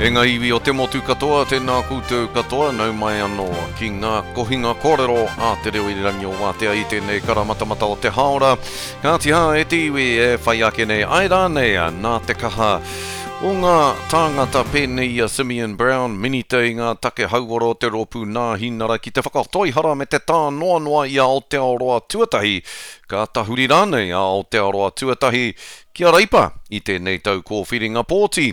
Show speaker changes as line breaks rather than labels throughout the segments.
E ngā iwi o te motu katoa, tēnā koutou katoa, nau mai anō ki ngā kohinga kōrero a Te Reo Irirangi o Wātea i tēnei karamatamata o te hāora. Kāti hā e te iwi e whai ake nei, āe rānei, nā te kaha o ngā tāngata pēnei i a Simeon Brown, Minita i ngā take hauora o te Rōpū Nāhinara ki te whakatoihara me te tānoanoa i a Aotearoa Tuatahi, ka tahuri rānei a Aotearoa Tuatahi ki a Reipa i tēnei tau kōwhiringa pōti.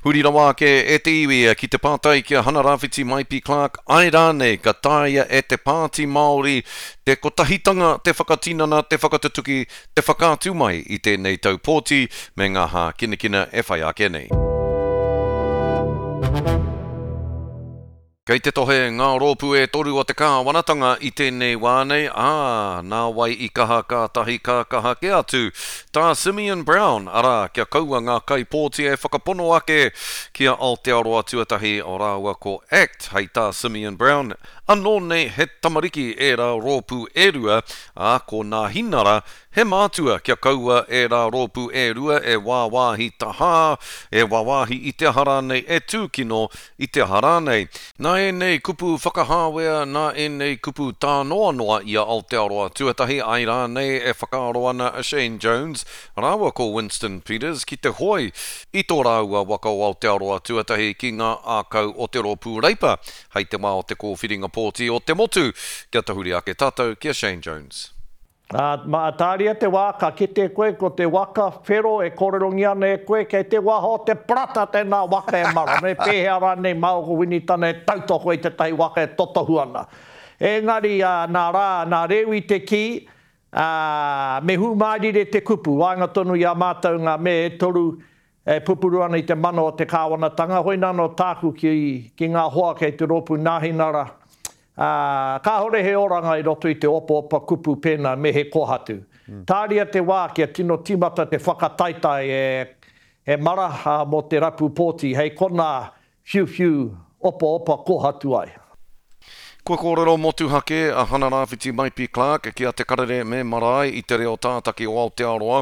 Huri rawa ake e te iwi ki te pātai ki a Hana-Rāwhiti Maipi Clarke, āe rānei ka taea e te Pāti Māori te kotahitanga te whakatinana, te whakatutuki, te whakaatu mai i tēnei tau pōti me ngā hākinakina e whai ake nei. Kei te tohe ngā rōpū e toru o te kāwanatanga i tēnei wā nei, ā, nā wai i kaha kātahi ka kaha kē atu tā Simeon Brown, arā, kia kaua ngā kaipōti e whakapono ake ki a Aotearoa Tuatahi rāua ko act, hei tā Simeon Brown, anō nei he tamariki ērā rōpū e rua, ā, ko Nāhinara He mātua kia kaua ērā rōpū e rua e wāwāhi tahā, e wāwāhi i te aha rānei, e tūkino i te aha rānei. Nā ēnei kupu whakahāwea, nā ēnei kupu tānoanoa i a Aotearoa tuatahi ai rānei e whakaaro ana a Shane Jones rāua ko Winston Peters ki te hoe i tō rāua waka o Aotearoa tuatahi ki ngā ākau o te Rōpū Reipa hei te wā o te kōwhiringa pōti o te motu. Kia tahuri ake tātou ki a Shane Jones.
Ā, mā, tāria te wā ka kite koe ko te waka whero e kōrerongia ana e koe kei te waha o te parata tēnā waka e mara, me pēhea rānei māua ko Winitana e tautoko i tētahi waka e totohu ana. Engari, ā, nā rā, nā Rewi te kī, ā, me hūmārire te kupu, waenga tonu i a mātou ngā me e toru E pupuru ana i te mana o te kāwanatanga, hoina anō tāku ki, ki ngā hoa kei te rōpū Nāhinara, ā, kāhore he oranga i roto i te opaopa kupu pēnā me he kōhatu. Tāria te wā kia tino tīmata te whakataetae e, e mara, ā, mō te rapu pōti, hei konā whiuwhiu opaopa kōhatu ai.
Kua kōrero motuhake a Hana-Rāwhiti Maipi Clarke ki a Te Karere me Marae i te reo tātaki o Aotearoa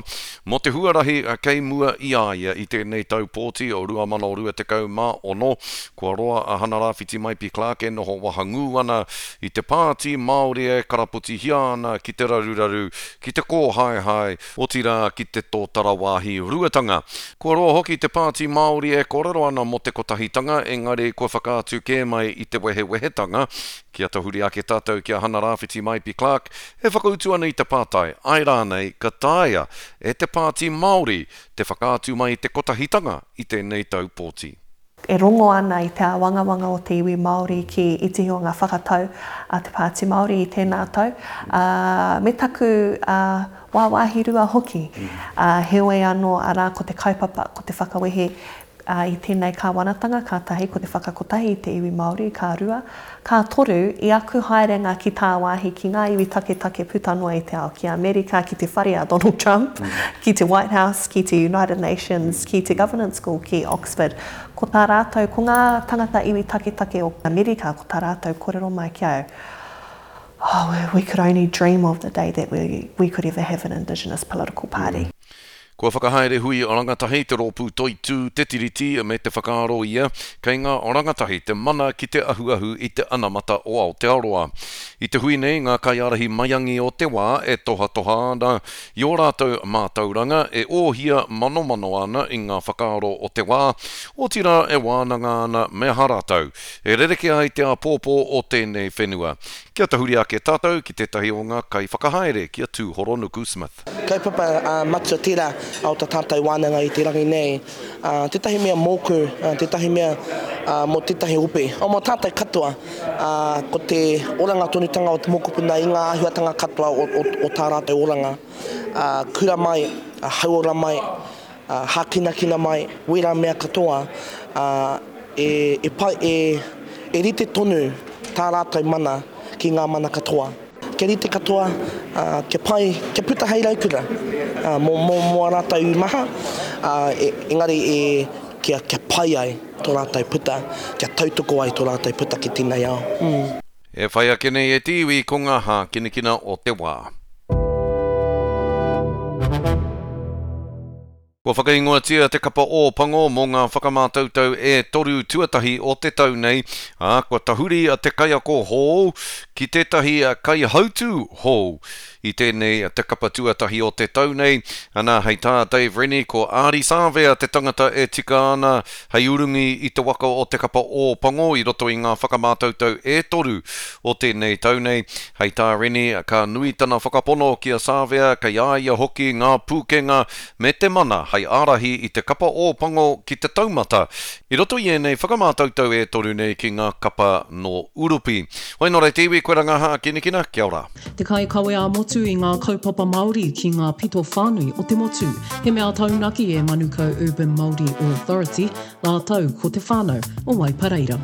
mō te huarahi kei mua i a ia i tēnei tau pōti o 2026. Kua roa a Hana-Rāwhiti Maipi Clarke e noho wahangū ana i te Pāti Māori e karapotihia ana ki te raruraru, ki te kōhaehae, otirā ki te tōtara wāhi ruatanga. Kua roa hoki te Pāti Māori e kōrero ana mō te kotahitanga, engari kua whakaatu kē mai i te wehewehetanga. Kia tahuri ake tātou ki a Hana-Rāwhiti Maipi Clarke e whakautu ana i te pātai, āe rānei ka taea e te Pāti Māori te whakaatu mai te kotahitanga i tēnei tau pōti.
E rongo ana i te āwangawanga o te iwi Māori ki ētehi o ngā whakatau a te Pāti Māori i tēnā tau, ā, me taku wāwāhi rua hoki. Ā, heoi anō, arā, ko te kaupapa, ko te whakawehe i tēnei kāwanatanga, ka tahi, ko te whakakotahi i te iwi Māori, ka rua. Ka toru, i aku haerenga ki tāwāhi, ki ngā iwi taketake puta noa i te ao, ki Amerika, ki te whare a Donald Trump, ki te White House, ki te United Nations, ki te Governance School, ki Oxford, ko tā rātou, ko ngā tangata iwi taketake o Amerika, ko tā rātou kōrero mai ki au, Oh, we could only dream of the day that we, we could ever have an Indigenous political party.
Kua whakahaere hui rangatahi te rōpū Toitū Te Tiriti me te whakaaro ia, kei ngā rangatahi te mana ki te ahuahu i te anamata o Aotearoa. I te hui nei ngā kaiārahi maiangi o te wā e tohatoha ana i ō rātou mātauranga, e ōhia manomano ana i ngā whakaaro o te wā, otirā e wānanga ana me aha rātou e rerekē ai te āpōpō o tēnei whenua. Kia tahuri ake tātou ki tētahi o ngā kaiwhakahaere ki a Tūhoronuku Smith.
Kaupapa matua tērā o tā tātou wānanga i te rangi nei. Tētahi mea mōku, tētahi mea mō tētahi ope, mō tātou katoa, ko te oranga tonutanga o te mokopuna i ngā āhuatanga katoa o tā rātou oranga. Kura mai, hauora mai, hākinakina mai, wērā mea katoa, e pai, e rite tonu tā rātou mana ki ngā mana katoa. Kia rite katoa, ā, kia pai, kia puta hei raukura, ā, mō, mō, mō ā rātou maha, ā, e, engari e, kia, kia pai ai tō rātou puta, kia tautoko ai tō rātou puta ki tēnei ao. Mm.
E whai ake nei e te iwi ko ngā hākinakina o te wā. Kua whakaingoatia te kapa Ō Pango mō ngā whakamātautau e toru tuatahi o te tau nei, ā, kua tahuri te kaiako hou ki tētahi kaihautū hou i tēnei te kapa tuatahi o te tau nei. Ana, hei tā Dave Rennie, ko Ardie Savea te tangata e tika ana hei urungi i te waka o te kapa Ō Pango i roto i ngā whakamātautau e toru o tēnei tau nei. Hei tā Rennie, ka nui tana whakapono ki a Savea, kei a ia hoki ngā pūkenga me te mana hei ārahi i te kapa Ō Pango ki te taumata i roto i ēnei whakamātautau e toru nei ki ngā kapa nō Urupi. Wai nō reira te iwi, koe ranga hākinakina, kia ora.
Te kaikawe ā-motu i ngā kaupapa Māori ki ngā pito whānui o te motu. He mea taunaki e Manukau Urban Māori Authority rātou ko te whānau o Waipareira.